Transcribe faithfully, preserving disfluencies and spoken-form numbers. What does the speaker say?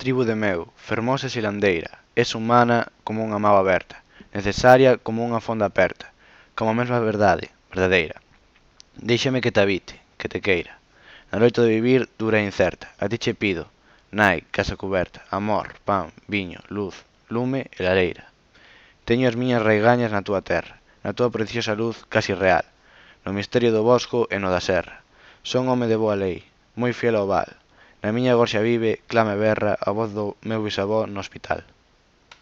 tribo de meu, fermosa e silandeira, es humana como unha mágoa aberta, necesaria como unha fonda aperta, como a mesma verdade, verdadeira. Déixame que te habite, que te queira. Na loita de vivir dura e incerta, a ti che pido, nai, casa cuberta, amor, pan, viño, luz, lume e lareira. Teño as miñas raigañas na túa terra, na túa preciosa luz casi real, no misterio do bosco e no da serra. Son home de boa lei, moi fiel ao val. Na miña gorxa vive, clama e berra a voz do meu bisavó no hospital.